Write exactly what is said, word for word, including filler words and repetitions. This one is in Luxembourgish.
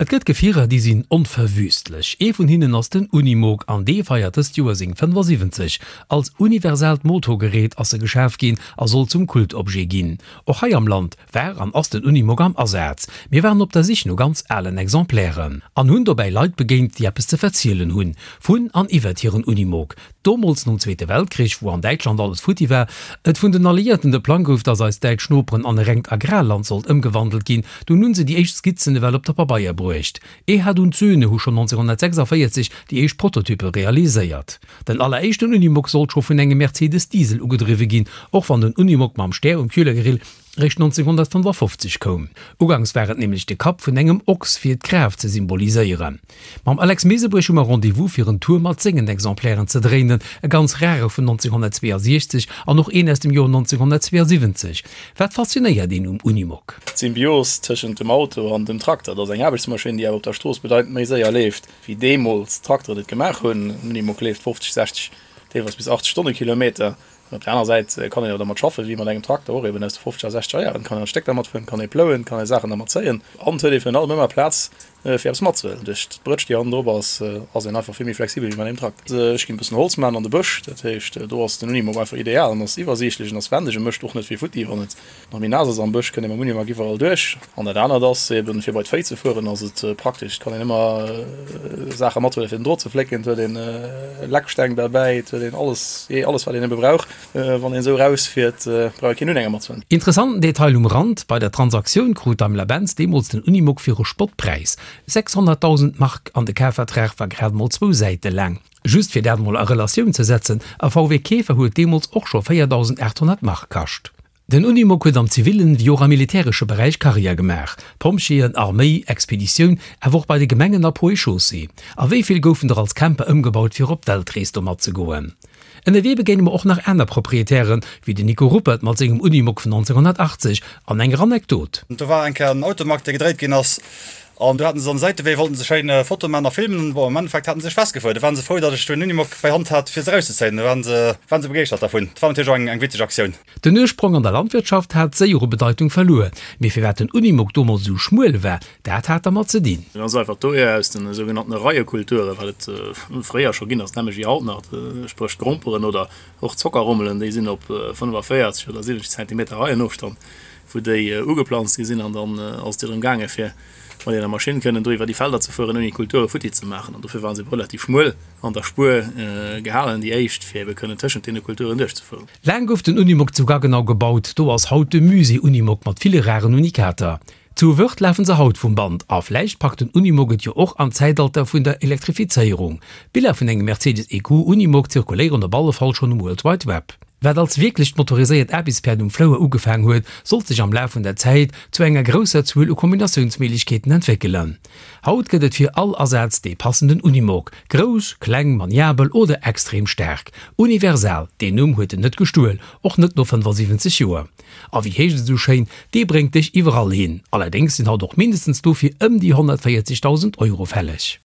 Et gëtt Gefierer, déi sinn onverwüstlech. Ee vun hinnen ass den Unimog an dee feiert dëst Joer seng fënnefasiwwenzeg. Als universaalt Motorgerät ass e geschaf ginn a soll zum Kultobjet ginn. Och hei am Land war an ass den Unimog am Asaz. Mir waren op der Sich no ganz alen Exemplairen an hunn dobäi Leit begéint, déi eppes ze verzielen hunn vun an iwwert hiren Unimog. Domols nom Zweete Weltkrich, wou an Däitschland alles futti war, et vun den Alliéierten de Plang gouf, dass eist däitsch Noperen an e rengt Agrarland sollt ëmgewandelt ginn, dunn hunn se déi éischt Skizzen ewell op de Pabeier bruecht. Erhard und Söhne hu schonn nonzénghonnertsechsundvéierzeg déi éischt Prototyppe realiséiert. Den alleréischten Unimog sollt scho vun engem Mercedes Diesel ugedriwwe ginn, och wann den Unimog mam Stär um Kühlergrill réischt nonzénghonnertfënnefafofzeg koum. Ugangs war et nämlech de Kapp vun engem Ochs fir d'Kraaft ze symboliséieren. Mam Alex Mesebrech hu mer Rendez-vous fir en Tour mat sengen Exemplairen ze dréinen, e ganz rare vun nonzénghonnertzweeasiechzeg an och een aus dem Joer nonzénghonnertzweeasiwwenzeg. Wat faszinéiert een um Unimog? D'Symbios tëschent dem Auto an dem Trakter, dat ass eng Aarbechtsmaschinn, déi awer op der Strooss bedeitend méi séier leeft, wéi deemools d'Trakteren et gemaach hunn. En Unimog leeft fofzeg, sechzeg, deelweis bis achtzeg Stonnekilometer. An op der aner Säit kann een awer dermat schaffen, wéi mat engem Trakter och, eben aus de fofzeger a sechzeger Jaren. Kann een Stéck dermat fueren, kann ee plouen, kann ee Saachen dermat zéien an et huet ee virun allem ëmmer Plaz, fir eppes matzehuelen. Duerch d'Brëtsch, déi hannendrop ass, ass een einfach vill méi flexibel wéi mat engem Trakter. Ech ginn e bëssen Holz maachen an de Bësch, dat heescht, do ass den Unimog einfach ideal. En ass iwwersiichtlech, en ass wendeg, e mécht och net vill futti. Wann et nach méi naass ass am Bësch, kënnt ee mam Unimog iwwerall duerch. An dat anert ass eben, fir bei d'Véi ze fueren, ass et praktesch. Et kann een ëmmer Saache mathuelen, fir den Drot ze flécken. Et huet een Lecksteng derbäi, et huet een alles, jee, alles wat een ebe brauch. Wann een esou erausfiert, brauch ee keen Unhänger matzehuelen. Interessanten Detail um Rand, Bei der Transaktioun krut Daimler-Benz deemools den Unimog fir e Spottpräis, sechshonnertdausend Mark, an de Kafvertrag war grad mol zwou Säite laang. Just fir dat mol a Relatioun ze setzen, e V W Käfer huet deemools och scho véierdausendaathonnert Mark kascht. Den Unimog huet am zivillen wéi och am militäresche Beräich Karriär gemaach, Pompjeeën, Arméi, Expeditioun, awer och bei de Gemengen a Ponts et Chaussées. A wéi vill goufen der als Camper ëmgebaut fir op Weltrees domat ze goen. Ënnerwee begéine mer och nach aner Proprietären, wéi den Nico Ruppert mat sengem Unimog vun nonzénghonnertachtzeg an enger Anekdot. Do war eng Kéier en Automag, dee gedréit ginn ass, an do haten se an Säitewee, wollten se schéin Foto man a filmen. Bon, am Endeffekt haten se sech festgefuer. Do waren se frou, datt ech do en Unimog bei Hand hat, fir se erauszezéien. Do waren se, waren se begeeschtert dervun. Dat war natierlech och eng, eng witzeg Aktioun. Den Ursprong an der Landwirtschaft hat séier u Bedeitung verluer. Mee firwat den Unimog domols esou schmuel war, dat hat dermat ze dinn. Ganz einfach dohier, aus den sougenannten Reiekulturen, wat et fréier scho ginn ass, nämlech wéi haut nach, spréch d'Gromperen oder och d'Zockerrommelen, déi sinn op fënnefaféierzeg oder siwwenzeg Zentimeter Reienofstand, wou déi ugeplanzt gi sinn an dann ass et jo drëm gaange fir mat enger Maschinn kënnen do iwwer déi Felder ze fueren ouni d'Kulture futti ze maachen an dofir waren se ebe relativ schmuel an der Spuer gehalen, déi éischt, fir ebe kënnen tëschent deene Kulturen duerchzefueren. Laang gouf den Unimog zu Gaggenau gebaut, do ass haut de Musée Unimog mat ville raren Unikater. Zu Wörth lafen se haut vum Band a vläicht packt den Unimog et jo och an d'Zäitalter vun der Elektrifizéierung. Biller vun engem Mercedes E Q Unimog zirkuléieren op alle Fall schonn um World Wide Web. Wat als wierklecht motoriséiert Aarbechtspäerd um Flouer ugefaang huet, sollt sech am Laf vun der Zäit zu enger grousser Zuel u Kombinatiounsméiglechkeeten entwéckelen. Haut gëtt et fir all Asaz dee passenden Unimog, grouss, kleng, maniabel oder extrem staark. Universal, deen Numm huet en net gestuel, och net no fënnefasiwwenzeg Joer. A wéi heescht et esou schéin, dee bréngt dech iwwerall hin. Allerdéngs sinn haut och mindestens dofir ëm déi honnertvéierzegdausend Euro fälleg.